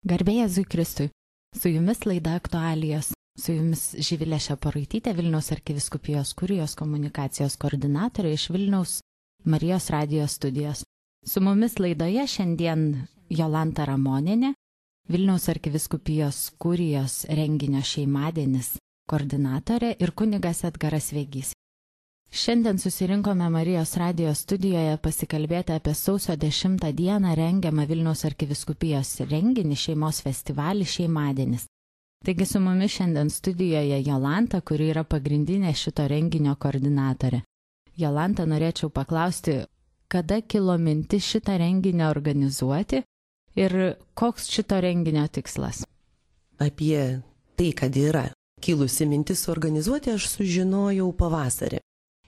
Garbė Jėzui Kristui. Su jumis laida Aktualijos. Su jumis Živilė Šeparaitytė, Vilniaus arkivyskupijos kurijos komunikacijos koordinatorė iš Vilniaus Marijos radijos studijos. Su mumis laidoje šiandien Jolanta Ramonienė, Vilniaus arkivyskupijos kurijos renginio šeimadienis koordinatorė ir kunigas Edgaras Vegys. Šiandien susirinkome Marijos radijos studijoje pasikalbėti apie sausio 10 dieną rengiamą Vilniaus arkivyskupijos renginį šeimos festivalį šeimadienis. Taigi su mumis šiandien studijoje Jolanta, kuri yra pagrindinė šito renginio koordinatorė. Jolanta, norėčiau paklausti, kada kilo mintis šitą renginį organizuoti ir koks šito renginio tikslas? Apie tai, kad yra kilusi mintis organizuoti, aš sužinojau pavasarį.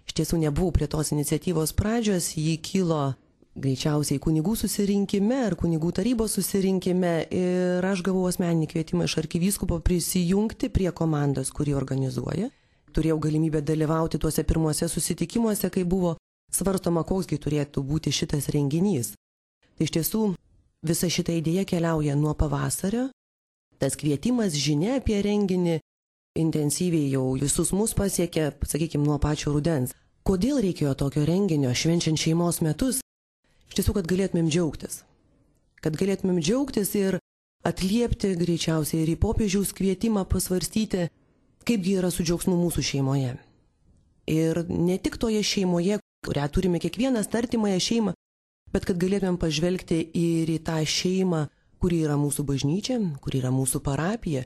Iš tiesų nebuvau prie tos iniciatyvos pradžios, ji kilo greičiausiai kunigų susirinkime ar kunigų tarybos susirinkime ir aš gavau asmeninį kvietimą iš arkivyskupo prisijungti prie komandos, kuri organizuoja. Turėjau galimybę dalyvauti tuose pirmuose susitikimuose, kai buvo svarstoma, koksgi turėtų būti šitas renginys. Tai iš tiesų visa šita idėja keliauja nuo pavasario. Tas kvietimas, žinia apie renginį intensyviai jau visus mus pasiekė, sakykime, nuo pačio rudens. Kodėl reikėjo tokio renginio švenčiant šeimos metus? Iš tiesų, kad galėtumėm džiaugtis. Kad galėtumėm džiaugtis ir atliepti greičiausiai ir į popiežiaus kvietimą pasvarstyti, kaipgi yra su džiaugsmu mūsų šeimoje. Ir ne tik toje šeimoje, kurią turime kiekvienas artimąją šeimą, bet kad galėtumėm pažvelgti ir į tą šeimą, kuri yra mūsų bažnyčia, kuri yra mūsų parapija.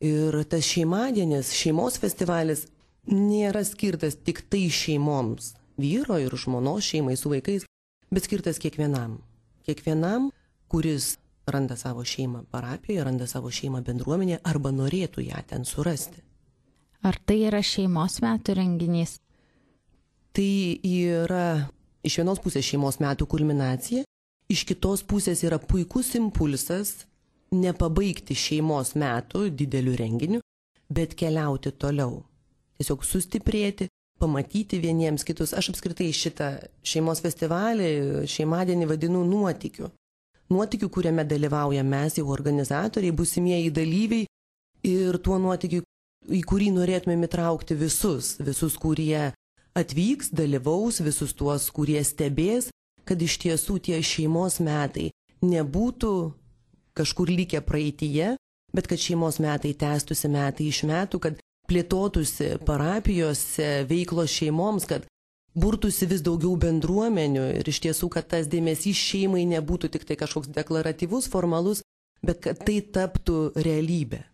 Ir tas šeimadienis, šeimos festivalis nėra skirtas tik tai šeimoms, vyro ir žmonos šeimai su vaikais, bet skirtas kiekvienam. Kiekvienam, kuris randa savo šeimą parapijoje, randa savo šeimą bendruomenėje arba norėtų ją ten surasti. Ar tai yra šeimos metų renginys? Tai yra iš vienos pusės šeimos metų kulminacija, iš kitos pusės yra puikus impulsas nepabaigti šeimos metų dideliu renginiu, bet keliauti toliau. Tiesiog sustiprėti, pamatyti vieniems kitus. Aš apskritai šitą šeimos festivalį, šeimadienį vadinu nuotykiu. Nuotykiu, kuriame dalyvauja mes jau organizatoriai, būsimieji dalyviai ir tuo nuotykiu, į kurį norėtumėm įtraukti visus, kurie atvyks, dalyvaus, visus tuos, kurie stebės, kad iš tiesų tie šeimos metai nebūtų kažkur likę praeityje, bet kad šeimos metai tęstųsi metai iš metų, kad plėtotųsi parapijose veiklos šeimoms, kad burtųsi vis daugiau bendruomenių ir iš tiesų, kad tas dėmesys šeimai nebūtų tik tai kažkoks deklaratyvus, formalus, bet kad tai taptų realybė.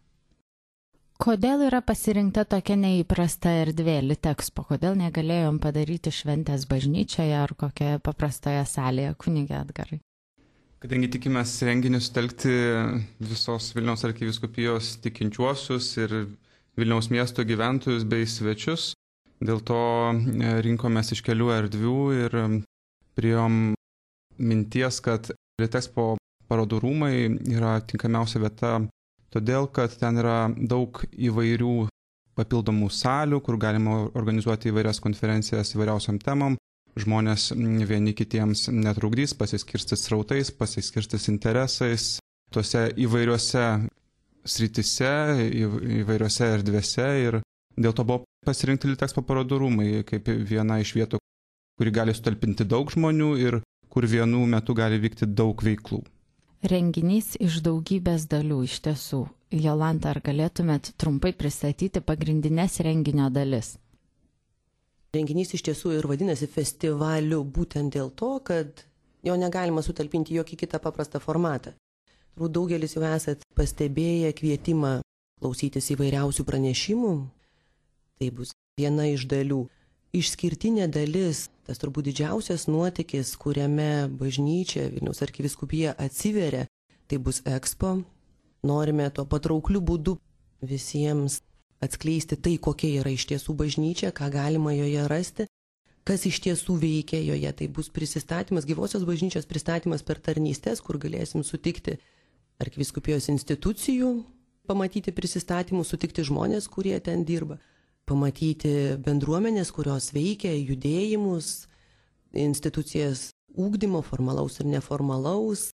Kodėl yra pasirinkta tokia neįprasta erdvė Litexpo? Kodėl negalėjom padaryti šventės bažnyčioje ar kokioje paprastoje salėje, kunige Edgarai? Kadangi tikimės renginį sutelkti visos Vilniaus arkivyskupijos tikinčiuosius ir Vilniaus miesto gyventojus bei svečius, dėl to rinkomės iš kelių erdvių ir priėjom minties, kad Litexpo parodų rūmai yra tinkamiausia vieta, todėl kad ten yra daug įvairių papildomų salių, kur galima organizuoti įvairias konferencijas įvairiausiam temam. Žmonės vieni kitiems netrukdys, pasiskirstys srautais, pasiskirstys interesais, tose įvairiose sritise, įvairiose erdvėse ir dėl to buvo pasirinkti Litexpo parodų rūmai kaip viena iš vietų, kuri gali sutalpinti daug žmonių ir kur vienu metu gali vykti daug veiklų. Renginys iš daugybės dalių iš tiesų. Jolanta, ar galėtumėt trumpai pristatyti pagrindinės renginio dalis? Renginys iš tiesų ir vadinasi festivaliu būtent dėl to, kad jo negalima sutalpinti jokį kitą paprastą formatą. Turbūt daugelis jau esat pastebėję kvietimą klausytis įvairiausių pranešimų. Tai bus viena iš dalių. Išskirtinė dalis, tas turbūt didžiausias nuotykis, kuriame bažnyčia, Vilniaus arkivyskupija atsiveria, tai bus Expo. Norime tuo patraukliu būdu visiems atskleisti tai, kokia yra iš tiesų bažnyčia, ką galima joje rasti, kas iš tiesų veikia joje. Tai bus prisistatymas, gyvosios bažnyčios pristatymas per tarnystės, kur galėsim sutikti arkivyskupijos institucijų, pamatyti prisistatymus, sutikti žmonės, kurie ten dirba, pamatyti bendruomenės, kurios veikia, judėjimus, institucijas ugdymo, formalaus ir neformalaus,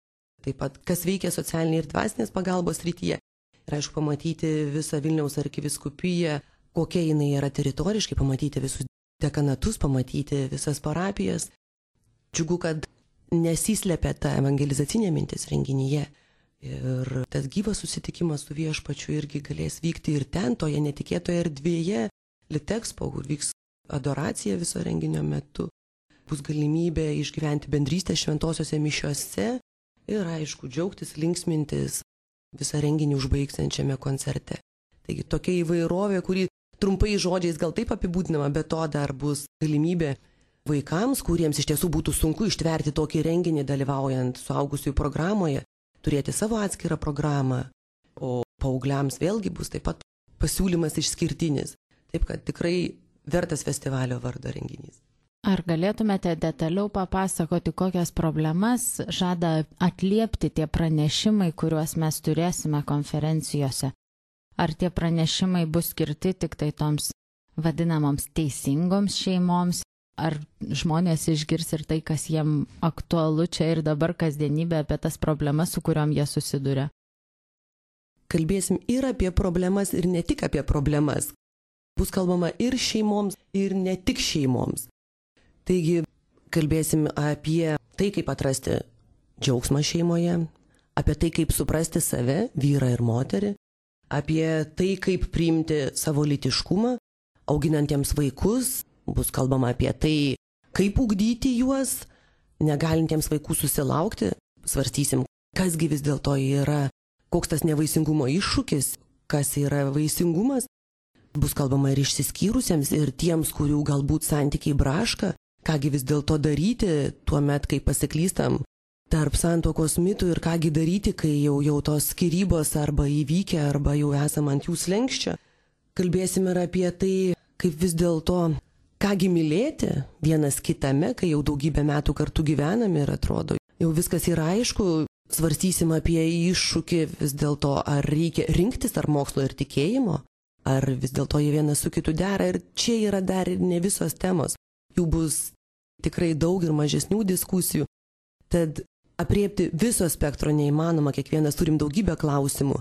taip pat kas veikia socialinė ir dvasinės pagalbos srityje. Ir aišku, pamatyti visą Vilniaus arkivyskupiją, kokia jinai yra teritoriškai, pamatyti visus dekanatus, pamatyti visas parapijas. Džiugu, kad nesislepia ta evangelizacinė mintis renginyje. Ir tas gyvas susitikimas su Viešpačiu irgi galės vykti ir ten, toje netikėtoje erdvėje, Litexpo, kur vyks adoracija viso renginio metu. Bus galimybė išgyventi bendrystę šventosiose mišiose ir, aišku, džiaugtis, linksmintis visą renginį užbaigsiančiame koncerte. Taigi tokia įvairovė, kuri trumpai žodžiais gal taip apibūdinama, bet to dar bus galimybė vaikams, kuriems iš tiesų būtų sunku ištverti tokį renginį dalyvaujant suaugusiųjų programoje, turėti savo atskirą programą, o paaugliams vėlgi bus taip pat pasiūlymas išskirtinis. Taip kad tikrai vertas festivalio vardo renginys. Ar galėtumėte detaliau papasakoti, kokias problemas žada atliepti tie pranešimai, kuriuos mes turėsime konferencijose? Ar tie pranešimai bus skirti tik tai toms vadinamoms teisingoms šeimoms? Ar žmonės išgirs ir tai, kas jiem aktualu čia ir dabar kasdienybė, apie tas problemas, su kuriuom jie susiduria? Kalbėsim ir apie problemas, ir ne tik apie problemas. Bus kalbama ir šeimoms, ir ne tik šeimoms. Taigi, kalbėsim apie tai, kaip atrasti džiaugsmą šeimoje, apie tai, kaip suprasti save, vyrą ir moterį, apie tai, kaip priimti savo lytiškumą, auginantiems vaikus, bus kalbama apie tai, kaip ugdyti juos, negalintiems vaikų susilaukti, svarstysim, kasgi vis dėlto yra, koks tas nevaisingumo iššūkis, kas yra vaisingumas, bus kalbama ir išsiskyrusiems, ir tiems, kurių galbūt santykiai braška, kągi vis dėlto daryti tuo met, kai pasiklystam tarp santuokos mitų ir kągi daryti, kai jau tos skyrybos arba įvykę, arba jau esam ant jų slenkščio. Kalbėsim ir apie tai, kaip vis dėlto, kągi mylėti vienas kitame, kai jau daugybę metų kartu gyvename ir atrodo, jau viskas yra aišku, svarstysim apie iššūkį vis dėlto, ar reikia rinktis tarp mokslo ir tikėjimo, ar vis dėlto jie vienas su kitu dera, ir čia yra dar ir ne visos temos. Jų bus tikrai daug ir mažesnių diskusijų, tad apriepti viso spektro neįmanoma, kiekvienas turim daugybę klausimų,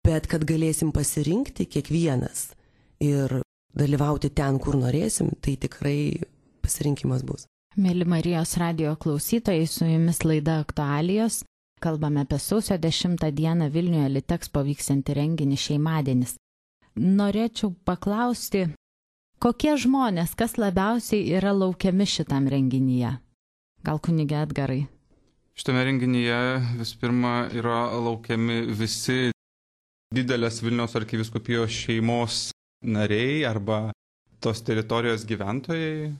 bet kad galėsim pasirinkti kiekvienas ir dalyvauti ten, kur norėsim, tai tikrai pasirinkimas bus. Mėly Marijos radijo klausytojai, su jumis laida Aktualijos. Kalbame apie sausio 10 dieną Vilniuje Litexpo vyksiantį renginį Šeimadienis. Norėčiau paklausti, kokie žmonės, kas labiausiai yra laukiami šitam renginyje? Gal kunige Edgarai? Šitame renginyje vis pirma yra laukiami visi didelės Vilniaus arkivyskupijos šeimos nariai arba tos teritorijos gyventojai.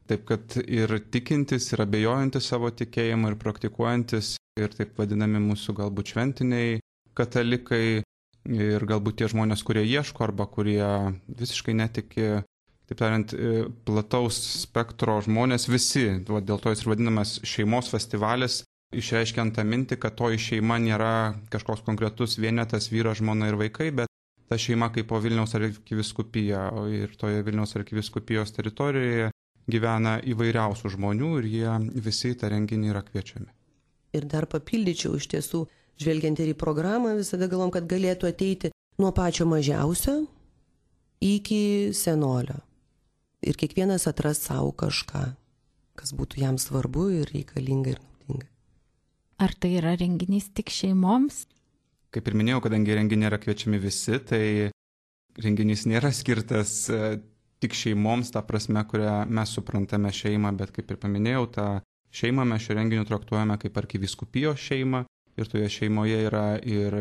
Taip kad ir tikintis, ir abejojantis savo tikėjimą, ir praktikuojantis, ir taip vadinami mūsų galbūt šventiniai katalikai, ir galbūt tie žmonės, kurie ieško arba kurie visiškai netiki, taip tariant, plataus spektro žmonės, visi. Dėl to jis ir vadinamas šeimos festivalis, išreiškiant tą mintį, kad toji šeima nėra kažkoks konkretus vienetas, vyras, žmona ir vaikai, bet ta šeima kaip po Vilniaus arkivyskupija, ir toje Vilniaus arkivyskupijos teritorijoje gyvena įvairiausių žmonių ir jie visi į tą renginį yra kviečiami. Ir dar papildyčiau, iš tiesų, žvelgiant ir į programą, visada galvom, kad galėtų ateiti nuo pačio mažiausio iki senolio. Ir kiekvienas atras savo kažką, kas būtų jam svarbu ir reikalinga ir naudinga. Ar tai yra renginys tik šeimoms? Kaip ir minėjau, kadangi renginį yra kviečiami visi, tai renginys nėra skirtas tik šeimoms, ta prasme, kurią mes suprantame šeimą, bet kaip ir paminėjau, tą šeimą mes šio renginiu traktuojame kaip arkivyskupijos šeimą ir toje šeimoje yra ir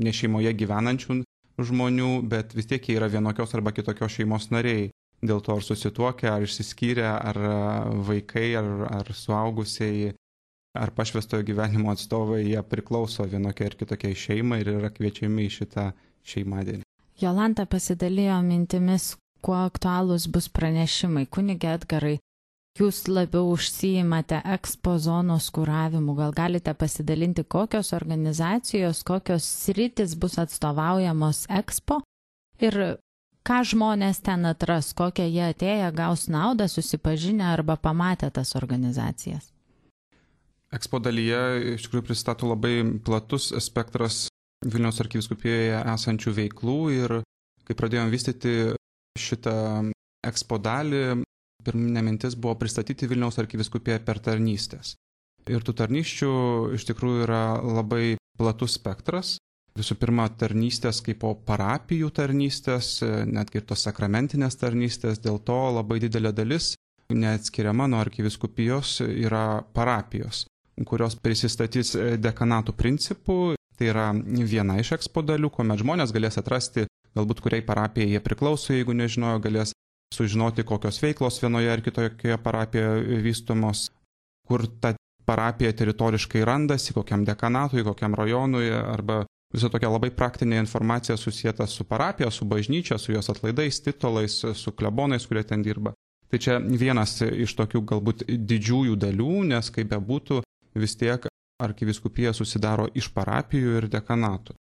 ne šeimoje gyvenančių žmonių, bet vis tiek jie yra vienokios arba kitokios šeimos nariai. Dėl to ar susituokę, ar išsiskyrę, ar vaikai, ar suaugusiai, ar pašvestojo gyvenimo atstovai, jie priklauso vienokiai ar kitokiai šeimai ir yra kviečiami į šitą šeimadienį. Jolanta pasidalijo mintimis, kuo aktualūs bus pranešimai. Kunige Edgarai, jūs labiau užsiimate Expo zonos kuravimu. Gal galite pasidalinti, kokios organizacijos, kokios sritis bus atstovaujamos Expo ir ką žmonės ten atras, kokią jie atėję gaus naudą, susipažinę arba pamatę tas organizacijas? Ekspo dalyje iš tikrųjų pristato labai platus spektras Vilniaus arkivyskupijoje esančių veiklų ir kai pradėjom vystyti šitą Ekspo dalį, pirminė mintis buvo pristatyti Vilniaus arkivyskupiją per tarnystės. Ir tų tarnysčių iš tikrųjų yra labai platus spektras. Visų pirma, tarnystės kaip po parapijų tarnystės, netgi ir tos sakramentinės tarnystės, dėl to labai didelė dalis neatskiriama nuo arkivyskupijos yra parapijos, kurios prisistatys dekanatų principų. Tai yra viena iš Ekspo dalių, kuomet žmonės galės atrasti, galbūt kuriai parapijai jie priklauso, jeigu nežinojo, galės sužinoti, kokios veiklos vienoje ar kitoje parapijoje vystomos, kur ta parapija teritoriškai randasi, kokiam dekanatui, kokiam rajonui, arba visa tokia labai praktinė informacija susijęta su parapija, su bažnyčia, su jos atlaidais, titulais, su klebonais, kurie ten dirba. Tai čia vienas iš tokių galbūt didžiųjų dalių, nes kaip bebūtų, vis tiek arkivyskupija susidaro iš parapijų ir dekanatų.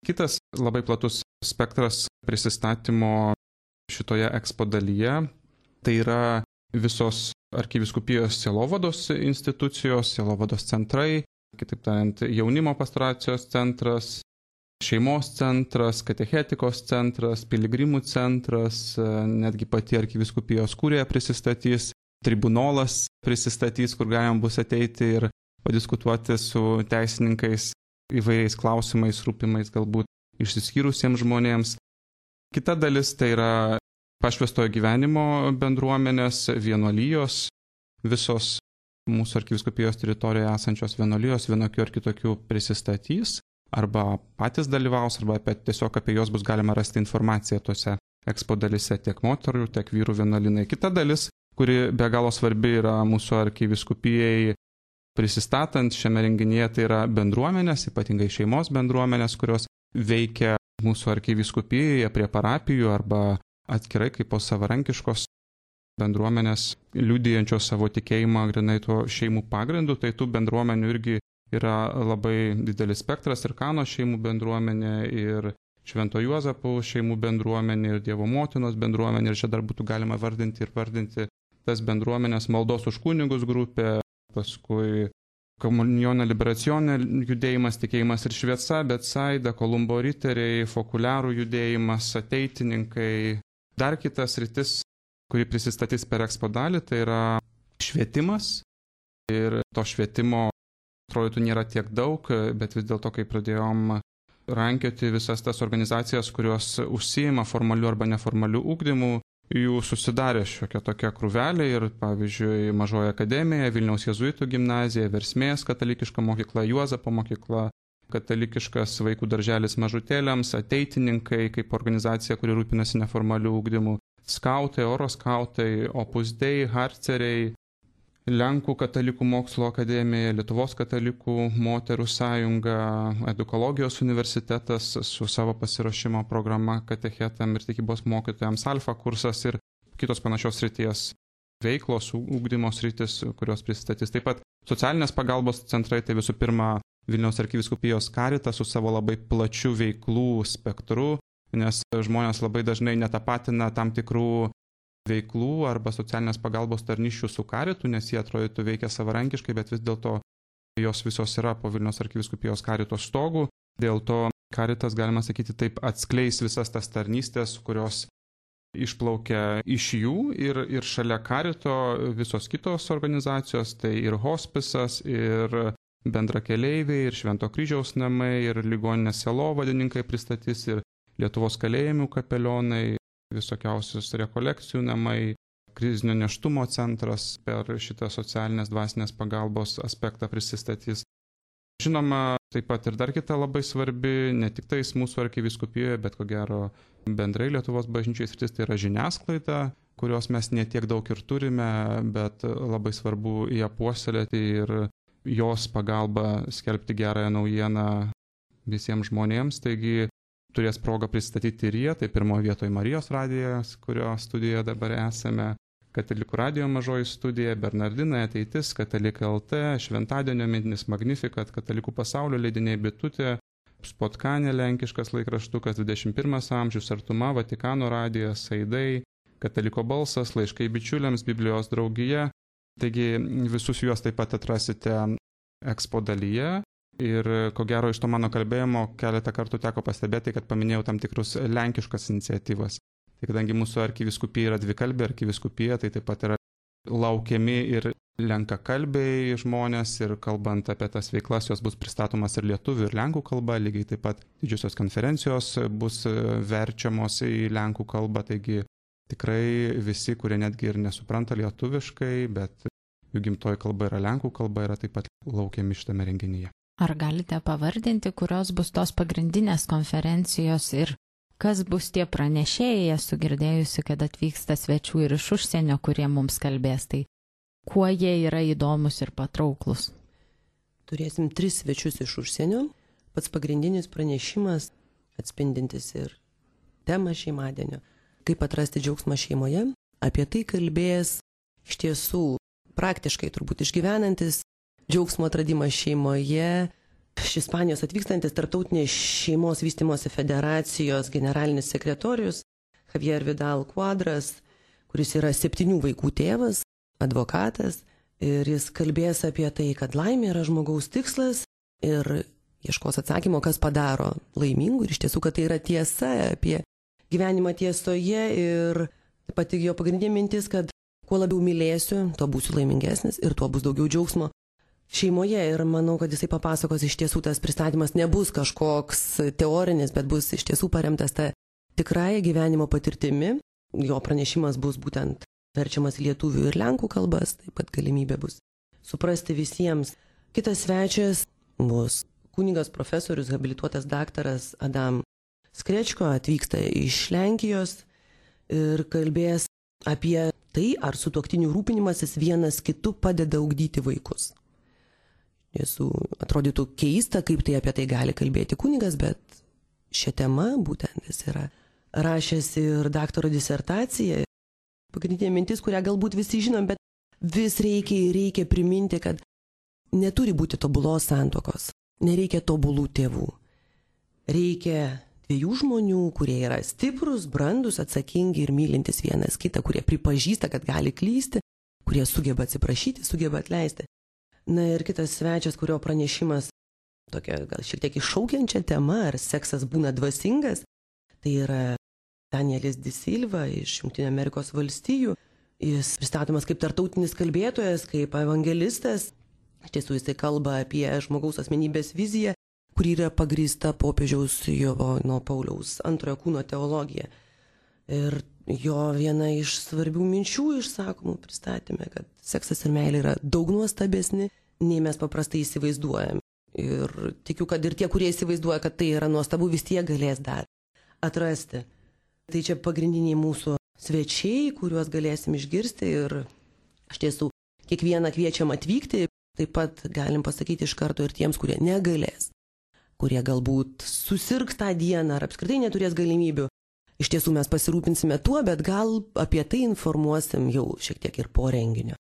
Kitas labai platus spektras prisistatymo šitoje Ekspo dalyje, tai yra visos arkivyskupijos sielovados institucijos, sielovados centrai, kitaip tariant, jaunimo pastoracijos centras, šeimos centras, katechetikos centras, piligrimų centras, netgi pati arkivyskupijos kurija prisistatys, tribunolas prisistatys, kur galima bus ateiti ir padiskutuoti su teisininkais įvairiais klausimais, rūpimais galbūt išsiskyrusiems žmonėms. Kita dalis tai yra pašvęstojo gyvenimo bendruomenės, vienuolijos, visos mūsų arkivyskupijos teritorijoje esančios vienuolijos vienokių ar kitokių prisistatys, arba patys dalyvaus, arba tiesiog apie juos bus galima rasti informaciją tose Ekspo dalyse, tiek moterų, tiek vyrų vienuolynai. Kita dalis, kuri be galo svarbi yra mūsų arkivyskupijai prisistatant šiame renginyje, tai yra bendruomenės, ypatingai šeimos bendruomenės, kurios veikia mūsų arkivyskupijoje prie parapijų arba atskirai kaip po savarankiškos bendruomenės liudijančios savo tikėjimą grynai tuo šeimų pagrindu. Tai tų bendruomenių irgi yra labai didelis spektras, ir Kano šeimų bendruomenė, ir Švento Juozapo šeimų bendruomenė, ir Dievo motinos bendruomenė, ir čia dar būtų galima vardinti tas bendruomenės, maldos už kunigus grupė, paskui Komunionė liberacionė judėjimas, tikėjimas ir šviesa, Betsaida, Kolumbo riteriai, Fokuliarų judėjimas, ateitininkai. Dar kitas rytis, kuri prisistatys per Ekspo dalį, tai yra švietimas. Ir to švietimo atrodytų nėra tiek daug, bet vis dėlto, kai pradėjom rankioti visas tas organizacijas, kurios užsiima formaliu arba neformaliu ugdymu, jų susidarė šiokia tokia krūvelė ir, pavyzdžiui, Mažoji akademija, Vilniaus jėzuitų gimnazija, Versmės katalikiška mokykla, Juozapo mokykla, katalikiškas vaikų darželis mažutėliams, ateitininkai kaip organizacija, kuri rūpinasi neformaliu ugdymu, skautai, oro skautai, Opus Dei, Harceriai, Lenkų katalikų mokslo akademija, Lietuvos katalikų moterų sąjunga, Edukologijos universitetas su savo pasiruošimo programa katechetam ir tikybos mokytojams, Alfa kursas ir kitos panašios srities veiklos, ugdymo sritis, kurios pristatys. Taip pat socialinės pagalbos centrai, tai visų pirma Vilniaus arkivyskupijos Caritas su savo labai plačiu veiklų spektru, nes žmonės labai dažnai netapatina tam tikrų veiklų arba socialinės pagalbos tarnysčių su Caritu, nes jie atrodytų veikia savarankiškai, bet vis dėlto jos visos yra po Vilniaus arkivyskupijos Carito stogu. Dėl to Caritas, galima sakyti, taip atskleis visas tas tarnystės, kurios išplaukia iš jų, ir šalia Carito visos kitos organizacijos, tai ir hospisas, ir bendrakeleiviai, ir Švento kryžiaus namai, ir ligoninės sielovadininkai pristatys, ir Lietuvos kalėjimų kapelionai, visokiausius rekolekcijų namai, krizinio nėštumo centras per šitą socialinės dvasinės pagalbos aspektą prisistatys. Žinoma, taip pat ir dar kita labai svarbi, ne tik tais mūsų arkivyskupijoje, bet ko gero bendrai Lietuvos bažnyčiai sritis, tai yra žiniasklaida, kurios mes netiek daug ir turime, bet labai svarbu ją puoselėti ir jos pagalba skelbti gerąją naujieną visiems žmonėms. Taigi turės progą pristatyti ir jie, tai pirmoje vietoje Marijos radijas, kurio studijoje dabar esame, Katalikų radijo mažoji studija, Bernardinai ateitis, Katalikai LT, Šventadienio mintinis Magnificat, Katalikų pasaulio leidiniai Bitutė, Spotkanė lenkiškas laikraštukas, 21 amžius, Artuma, Vatikano radijas, Aidai, Kataliko balsas, laiškai bičiuliams, Biblijos draugija. Taigi visus juos taip pat atrasite ekspo dalyje. Ir ko gero iš to mano kalbėjimo keletą kartų teko pastebėti, kad paminėjau tam tikrus lenkiškas iniciatyvas. Tai kadangi mūsų arkivyskupija yra dvikalbė arkivyskupija, tai taip pat yra laukiami ir lenkakalbiai žmonės ir kalbant apie tas veiklas, jos bus pristatomas ir lietuvių, ir lenkų kalba, lygiai taip pat didžiosios konferencijos bus verčiamos į lenkų kalbą, taigi tikrai visi, kurie netgi ir nesupranta lietuviškai, bet jų gimtoji kalba yra lenkų kalba, yra taip pat laukiami šitame renginyje. Ar galite pavardinti, kurios bus tos pagrindinės konferencijos ir kas bus tie pranešėjai? Esu girdėjusi, kad atvyksta svečių ir iš užsienio, kurie mums kalbės. Tai kuo jie yra įdomus ir patrauklus? Turėsim 3 svečius iš užsienio. Pats pagrindinis pranešimas, atspindintis ir temą šeimadienio. Kaip atrasti džiaugsmą šeimoje. Apie tai kalbės iš tiesų praktiškai turbūt išgyvenantis džiaugsmo atradimą šeimoje. Iš Ispanijos atvykstantis Tarptautinės šeimos vystymosi federacijos generalinis sekretorius Javier Vidal Quadras, kuris yra 7 vaikų tėvas, advokatas, ir jis kalbės apie tai, kad laimė yra žmogaus tikslas ir ieškos atsakymo, kas padaro laimingų, ir iš tiesų, kad tai yra tiesa apie gyvenimą tiesoje, ir pati jo pagrindinė mintis, kad kuo labiau mylėsiu, tuo būsiu laimingesnis ir tuo bus daugiau džiaugsmo šeimoje. Ir manau, kad jisai papasakos, iš tiesų tas pristatymas nebus kažkoks teorinis, bet bus iš tiesų paremtas tą tikrąją gyvenimo patirtimi. Jo pranešimas bus būtent verčiamas lietuvių ir lenkų kalbas, taip pat galimybė bus suprasti visiems. Kitas svečias bus kunigas profesorius, habilituotas daktaras Adam Skrečko, atvyksta iš Lenkijos ir kalbės apie tai, ar sutuoktinių rūpinimasis vienas kitu padeda ugdyti vaikus. Jėzų atrodytų keista, kaip tai apie tai gali kalbėti kunigas, bet šią temą būtent jis yra rašęs ir daktaro disertaciją. Pagrindinė mintis, kurią galbūt visi žinom, bet vis reikia priminti, kad neturi būti tobulos santuokos, nereikia tobulų tėvų. Reikia 2 žmonių, kurie yra stiprus, brandus, atsakingi ir mylintis vienas kitą, kurie pripažįsta, kad gali klysti, kurie sugeba atsiprašyti, sugeba atleisti. Na ir kitas svečias, kurio pranešimas tokia gal šiek tiek iššaukiančia tema, ar seksas būna dvasingas, tai yra Danielis Di Silva iš Jungtinių Amerikos valstijų. Jis pristatomas kaip tartautinis kalbėtojas, kaip evangelistas. Iš tiesų jisai kalba apie žmogaus asmenybės viziją, kuri yra pagrįsta popiežiaus Jono Pauliaus antrojo kūno teologija. Ir jo viena iš svarbių minčių išsakomų pristatymė, kad seksas ir meilė yra daug nuostabesni, nei mes paprastai įsivaizduojam. Ir tikiu, kad ir tie, kurie įsivaizduoja, kad tai yra nuostabu, vis tiek galės dar atrasti. Tai čia pagrindiniai mūsų svečiai, kuriuos galėsim išgirsti, ir iš tiesų kiekvieną kviečiam atvykti. Taip pat galim pasakyti iš karto ir tiems, kurie negalės, kurie galbūt susirgs tą dieną ar apskritai neturės galimybių. Iš tiesų mes pasirūpinsime tuo, bet gal apie tai informuosim jau šiek tiek ir po renginio.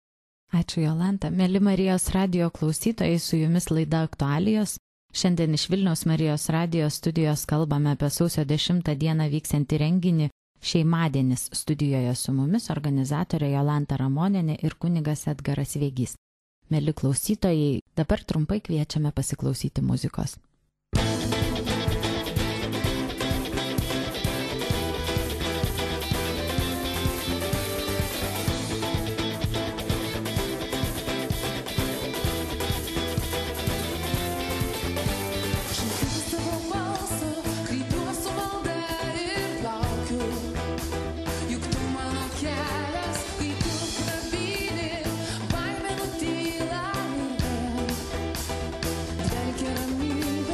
Ačiū, Jolanta. Mėly Marijos radijo klausytojai, su jumis laida Aktualijos. Šiandien iš Vilniaus Marijos radijo studijos kalbame apie sausio 10 dieną vyksiantį renginį Šeimadienis. Studijoje su mumis organizatorė Jolanta Ramonienė ir kunigas Edgaras Vėgys. Mėly klausytojai, dabar trumpai kviečiame pasiklausyti muzikos. Dvelkia ramybė.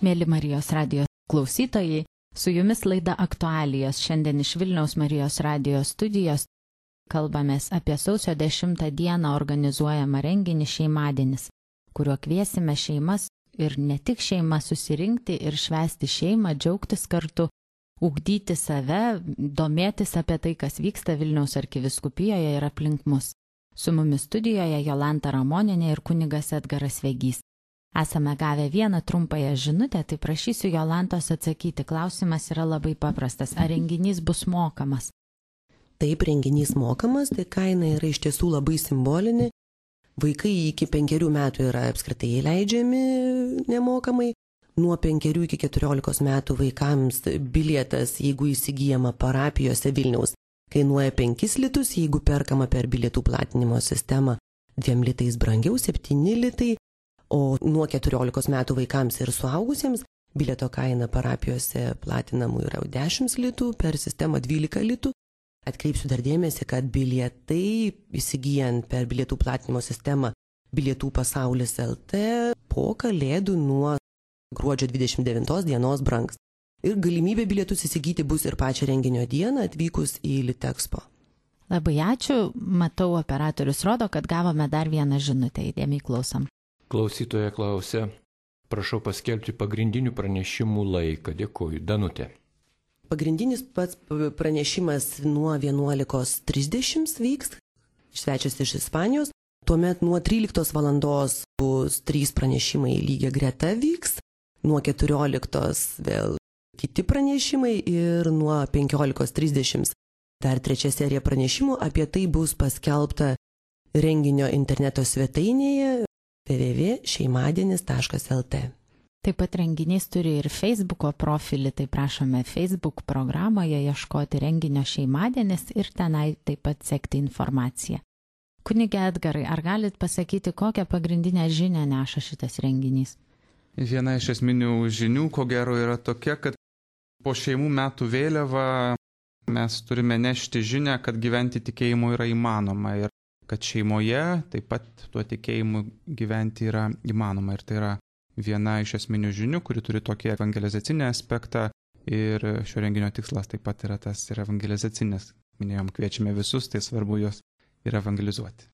Mėly Marijos radijos klausytojai, su jumis laida Aktualijos. Šiandien iš Vilniaus Marijos radijos studijos kalbamės apie sausio 10 dieną organizuojamą renginį Šeimadienis, kuriuo kviesime šeimas ir ne tik šeimas susirinkti ir švęsti šeimą, džiaugtis kartu, ugdyti save, domėtis apie tai, kas vyksta Vilniaus arkivyskupijoje ir aplink mus. Su mumis studijoje Jolanta Ramonienė ir kunigas Edgaras Vegys. Esame gavę vieną trumpąją žinutę, tai prašysiu Jolantos atsakyti. Klausimas yra labai paprastas. Ar renginys bus mokamas? Taip, renginys mokamas, tai kaina yra iš tiesų labai simbolinė. Vaikai iki 5 metų yra apskritai įleidžiami nemokamai. Nuo 5 iki 14 metų vaikams bilietas, jeigu įsigijama parapijose Vilniaus, kainuoja 5 litus, jeigu perkama per bilietų platinimo sistemą 2 litais brangiau, 7 litai. O nuo 14 metų vaikams ir suaugusiems bilieto kaina parapijose platinamų yra 10 litų, per sistemą 12 litų. Atkreipsiu dar dėmesį, kad bilietai įsigijant per bilietų platinimo sistemą Bilietų pasaulis LT po kalėdų nuo gruodžio 29 dienos brangs. Ir galimybė bilietus įsigyti bus ir pačią renginio dieną atvykus į Litexpo. Labai ačiū. Matau, operatorius rodo, kad gavome dar vieną žinutę. Įdėmiai klausom. Klausytoja klausia, prašau paskelbti pagrindinių pranešimų laiką. Dėkuoju. Danutė. Pagrindinis pats pranešimas nuo 11:30 vyks. Svečias iš Ispanijos. Tuomet nuo 13 valandos bus 3 pranešimai lygia greta vyks. Nuo 14 vėl kiti pranešimai ir nuo 15:30 dar 3 serija pranešimų. Apie tai bus paskelbta renginio interneto svetainėje www.šeimadienis.lt. Taip pat renginys turi ir Facebooko profilį, tai prašome Facebook programoje ieškoti renginio Šeimadienis ir tenai taip pat sekti informaciją. Kunige Edgarai, ar galit pasakyti, kokią pagrindinę žinią neša šitas renginys? Viena iš esminių žinių, ko gero, yra tokia, kad po šeimų metų vėliava mes turime nešti žinią, kad gyventi tikėjimu yra įmanoma ir kad šeimoje taip pat tuo tikėjimu gyventi yra įmanoma. Ir tai yra viena iš esminių žinių, kuri turi tokį evangelizacinį aspektą ir šio renginio tikslas taip pat yra tas ir evangelizacinis. Minėjom, kviečiame visus, tai svarbu juos ir evangelizuoti.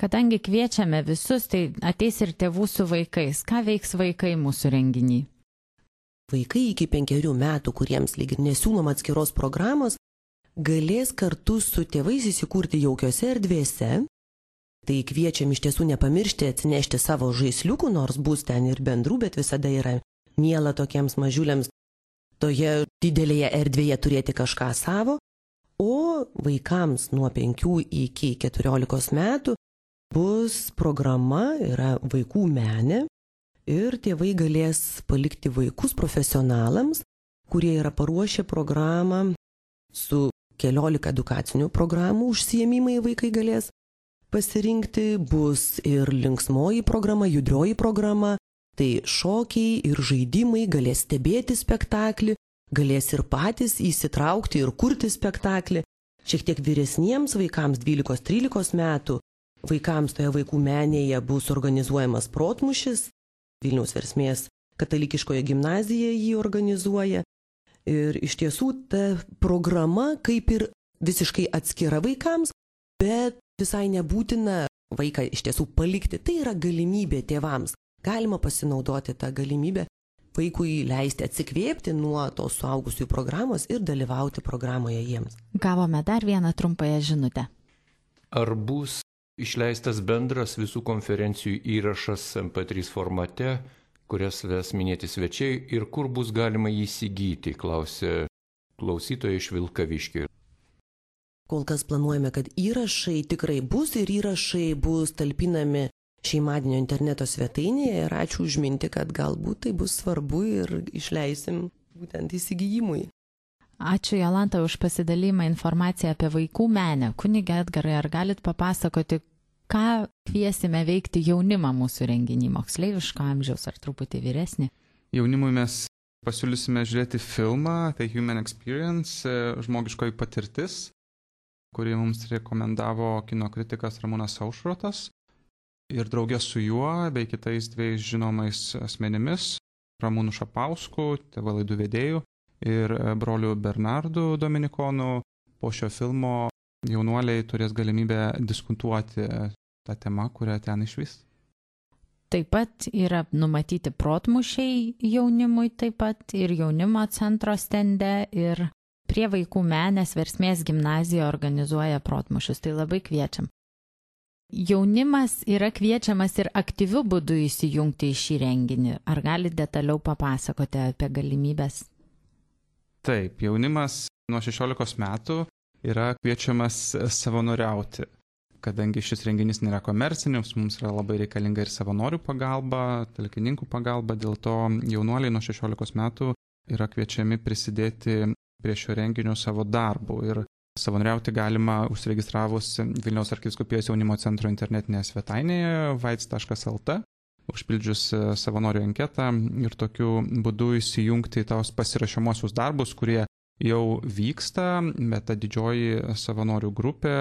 Kadangi kviečiame visus, tai ateis ir tėvų su vaikais. Ką veiks vaikai mūsų renginį? Vaikai iki 5 metų, kuriems lyg ir nesiūlom atskiros programos, galės kartu su tėvais įsikurti jaukiose erdvėse. Tai kviečiam iš tiesų nepamiršti atsinešti savo žaisliukų, nors bus ten ir bendrų, bet visada yra miela tokiems mažiuliams toje didelėje erdvėje turėti kažką savo. O vaikams nuo 5 iki 14 metų bus programa, yra vaikų menė ir tėvai galės palikti vaikus profesionalams, kurie yra paruošę programą su 14 edukacinių programų užsiėmimai vaikai galės pasirinkti, bus ir linksmoji programa, judrioji programa, tai šokiai ir žaidimai, galės stebėti spektaklį, galės ir patys įsitraukti ir kurti spektaklį. Šiek tiek vyresniems vaikams 12-13 metų, vaikams toje vaikų menėje bus organizuojamas protmūšis, Vilniaus Versmės katalikiškoje gimnazijoje jį organizuoja. Ir iš tiesų ta programa kaip ir visiškai atskira vaikams, bet visai nebūtina vaiką iš tiesų palikti. Tai yra galimybė tėvams. Galima pasinaudoti tą galimybę vaikui leisti atsikvėpti nuo tos suaugusiųjų programos ir dalyvauti programoje jiems. Gavome dar vieną trumpąją žinutę. Ar bus išleistas bendras visų konferencijų įrašas MP3 formate, kurias ves minėti svečiai ir kur bus galima įsigyti, klausė klausytoja iš Vilkaviškio. Kol kas planuojame, kad įrašai tikrai bus ir įrašai bus talpinami Šeimadienio interneto svetainėje ir ačiū už mintį, kad galbūt tai bus svarbu ir išleisim būtent įsigijimui. Ačiū Jolanta už pasidalymą informaciją apie vaikų menę. Kunige Edgarai, ar galit papasakoti, ką kviesime veikti jaunimą mūsų renginį, moksleiviško amžiaus ar truputį vyresnį? Jaunimui mes pasiūlysime žiūrėti filmą, tai Human Experience, žmogiškoji patirtis, kurį mums rekomendavo kino kritikas Ramūnas Aušrotas. Ir draugė su juo bei kitais 2 žinomais asmenimis Ramūnu Šapausku, TV laidų vedėju, ir broliu Bernardu Dominikonu. Po šio filmo jaunuoliai turės galimybę diskutuoti tą temą, kurią ten išvys. Taip pat yra numatyti protmūšiai jaunimui taip pat ir jaunimo centro stende ir prie Vaikų menės Versmės gimnazija organizuoja protmūšius, tai labai kviečiam. Jaunimas yra kviečiamas ir aktyviu būdu įsijungti į šį renginį. Ar galite detaliau papasakoti apie galimybės? Taip, jaunimas nuo 16 metų yra kviečiamas savanoriauti. Kadangi šis renginys nėra komercinis, mums yra labai reikalinga ir savanorių pagalba, talkininkų pagalba, dėl to jaunuoliai nuo 16 metų yra kviečiami prisidėti prie šio renginio savo darbų. Ir savanoriauti galima užsiregistravus Vilniaus arkivyskupijos jaunimo centro internetinėje svetainėje vaits.lt, užpildžius savanorių anketą ir tokiu būdu įsijungti į tos pasirašomosius darbus, kurie jau vyksta, bet ta didžioji savanorių grupė,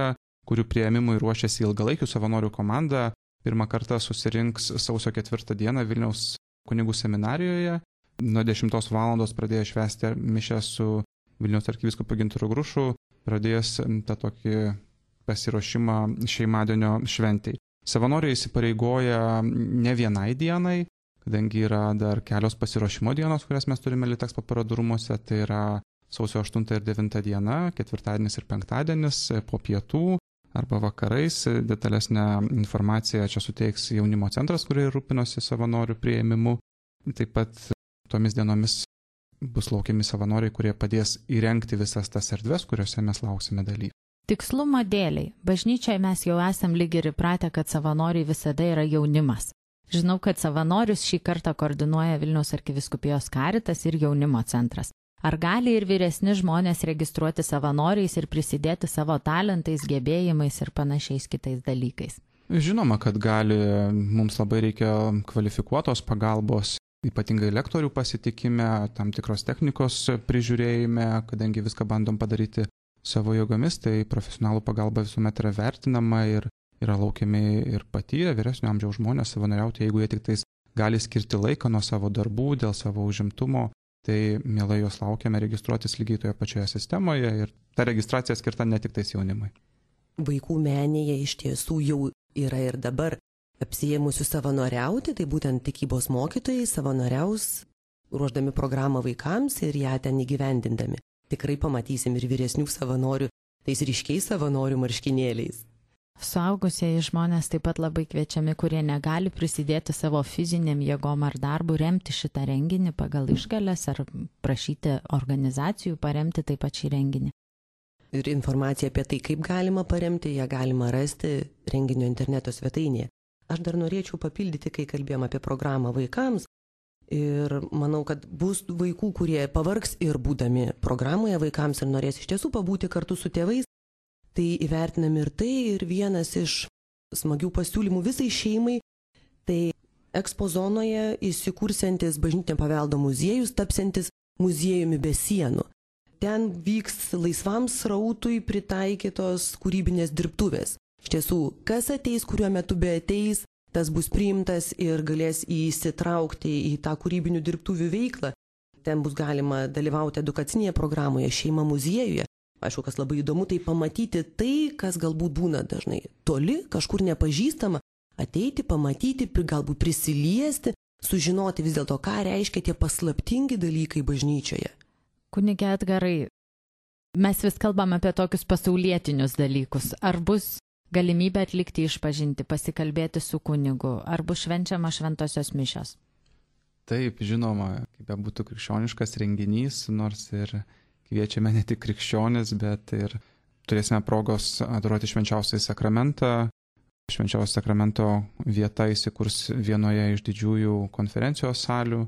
kurių priėmimui ruošiasi ilgalaikių savanorių komanda, pirmą kartą susirinks sausio 4 dieną Vilniaus kunigų seminarijoje. Nuo 10 valandos pradėjo švęsti mišią su Vilniaus arkivyskupu Gintaru Grušu, pradėjęs tą tokį pasiruošimą šeimadienio šventai. Savanoriai įsipareigoja ne vienai dienai, kadangi yra dar kelios pasiruošimo dienos, kurias mes turime Litexpo parodų rūmuose, tai yra sausio 8 ir 9 diena, ketvirtadienis ir penktadienis po pietų arba vakarais. Detalesnę informaciją čia suteiks jaunimo centras, kurie rūpinosi savanorių priėmimu. Taip pat tomis dienomis bus laukiami savanoriai, kurie padės įrengti visas tas erdves, kuriuose mes lauksime dalyvių. Tikslumo dėliai. Bažnyčioje mes jau esam lyg ir įpratę, kad savanoriai visada yra jaunimas. Žinau, kad savanorius šį kartą koordinuoja Vilniaus arkivyskupijos Karitas ir jaunimo centras. Ar gali ir vyresni žmonės registruoti savanoriais ir prisidėti savo talentais, gebėjimais ir panašiais kitais dalykais? Žinoma, kad gali. Mums labai reikia kvalifikuotos pagalbos, ypatingai lektorių pasitikime, tam tikros technikos prižiūrėjime, kadangi viską bandom padaryti savo jėgomis, tai profesionalų pagalba visuomet yra vertinama ir yra laukiami ir patyrę vyresnio amžiaus žmonės savanoriauti, jeigu jie tik tais gali skirti laiką nuo savo darbų dėl savo užimtumo. Tai mielai juos laukiame registruotis lygiai toje pačioje sistemoje ir ta registracija skirta ne tik tais jaunimui. Vaikų menėje iš tiesų jau yra ir dabar apsiėmusių savanoriauti, tai būtent tikybos mokytojai savanoriaus ruoždami programą vaikams ir ją ten įgyvendindami. Tikrai pamatysim ir vyresnių savanorių, tais ryškiais savanorių marškinėliais. Suaugusieji žmonės taip pat labai kviečiami, kurie negali prisidėti savo fiziniam jėgom ar darbu, remti šitą renginį pagal išgales ar prašyti organizacijų paremti taip pat šį renginį. Ir informaciją apie tai, kaip galima paremti, ją galima rasti renginio interneto svetainėje. Aš dar norėčiau papildyti, kai kalbėjom apie programą vaikams. Ir manau, kad bus vaikų, kurie pavargs ir būdami programoje vaikams ir norės iš tiesų pabūti kartu su tėvais. Tai įvertinami ir tai, ir vienas iš smagių pasiūlymų visai šeimai, tai Expo zonoje įsikursiantis bažnytinio paveldo muziejus, tapsiantis muziejumi be sienų. Ten vyks laisvam srautui pritaikytos kūrybinės dirbtuvės. Iš tiesų, kas ateis, kuriuo metu be ateis, tas bus priimtas ir galės įsitraukti į tą kūrybinių dirbtuvių veiklą. Ten bus galima dalyvauti edukacinėje programoje, šeima muziejuje. Aišku, kas labai įdomu, tai pamatyti tai, kas galbūt būna dažnai toli, kažkur nepažįstama, ateiti, pamatyti, galbūt prisiliesti, sužinoti vis dėlto, ką reiškia tie paslaptingi dalykai bažnyčioje. Kunige Edgarai, mes vis kalbam apie tokius pasaulietinius dalykus. Ar bus galimybė atlikti išpažinti, pasikalbėti su kunigu, ar bus švenčiama šventosios mišios? Taip, žinoma, kaip būtų krikščioniškas renginys, nors ir kviečiame ne tik krikščionis, bet ir turėsime progos adoruoti švenčiausiąjį sakramentą. Švenčiausio sakramento vieta įsikurs vienoje iš didžiųjų konferencijos salių.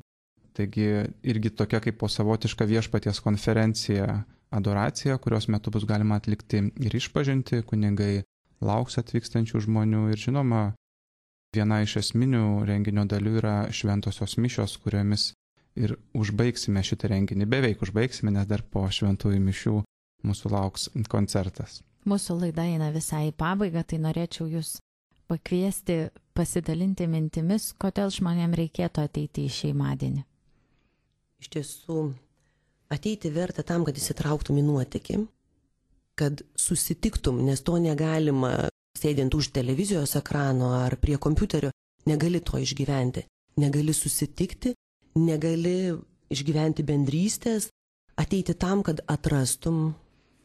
Taigi irgi tokia kaip po savotiška viešpaties konferencija, adoracija, kurios metu bus galima atlikti ir išpažinti, kunigai lauks atvykstančių žmonių ir žinoma, viena iš esminių renginio dalių yra šventosios mišios, kuriomis ir užbaigsime šitą renginį. Beveik užbaigsime, nes dar po šventųjų mišių mūsų lauks koncertas. Mūsų laida eina visai į pabaigą, tai norėčiau jūs pakviesti pasidalinti mintimis, kodėl žmonėms reikėtų ateiti į šeimadienį. iš tiesų ateiti verta tam, kad įsitrauktum į nuotykį, kad susitiktum, nes to negalima sėdint už televizijos ekrano ar prie kompiuterio, negali to išgyventi, negali susitikti, negali išgyventi bendrystės, ateiti tam, kad atrastum,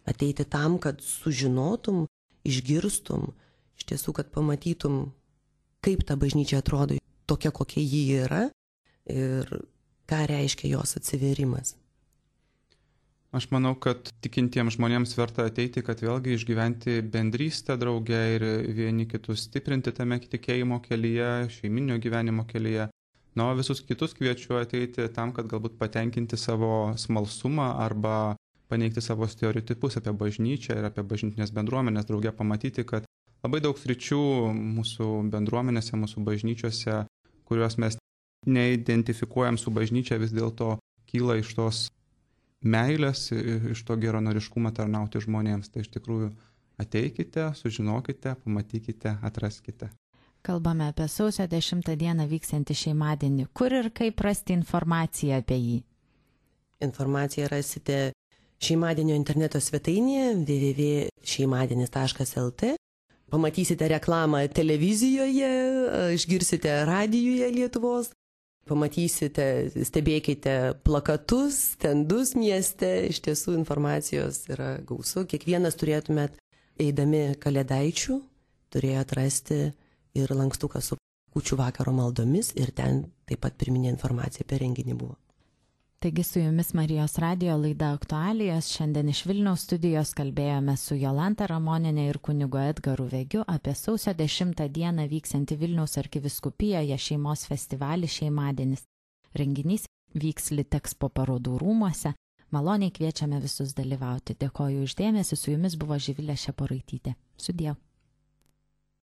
ateiti tam, kad sužinotum, išgirstum, iš tiesų, kad pamatytum, kaip ta bažnyčia atrodo tokia, kokia ji yra ir ką reiškia jos atsivėrimas. Aš manau, kad tikintiems žmonėms verta ateiti, kad vėlgi išgyventi bendrystę drauge ir vieni kitus stiprinti tame tikėjimo kelyje, šeiminio gyvenimo kelyje. Na, o visus kitus kviečiu ateiti tam, kad galbūt patenkinti savo smalsumą arba paneigti savo stereotipus apie bažnyčią ir apie bažnytinės bendruomenės, drauge pamatyti, kad labai daug sričių mūsų bendruomenėse, mūsų bažnyčiose, kuriuos mes neidentifikuojam su bažnyčia, vis dėlto kyla iš tos meilės, iš to geranoriškumo tarnauti žmonėms. Tai iš tikrųjų ateikite, sužinokite, pamatykite, atraskite. Kalbame apie sausio 10 dieną vyksiantį šeimadienį. Kur ir kaip rasti informaciją apie jį? Informaciją rasite šeimadienio interneto svetainėje www.šeimadienis.lt. Pamatysite reklamą televizijoje, išgirsite radijuje Lietuvos, pamatysite, stebėkite plakatus, stendus mieste, iš tiesų informacijos yra gausu. Kiekvienas turėtumėt, eidami Kalėdaičių, turėjo atrasti ir lankstuką su kūčių vakaro maldomis ir ten taip pat pirminė informacija apie renginį buvo. Taigi su jumis Marijos radijo laida Aktualijos. Šiandien iš Vilniaus studijos kalbėjome su Jolanta Ramonienė ir kunigu Edgaru Vegiu apie sausio 10 dieną vyksiantį Vilniaus arkivyskupijoje šeimos festivalį Šeimadienis. Renginys vyks Litexpo parodų rūmuose. Maloniai kviečiame visus dalyvauti. Dėkoju už dėmesį, su jumis buvo Živilė Šeporaitytė. Sudie.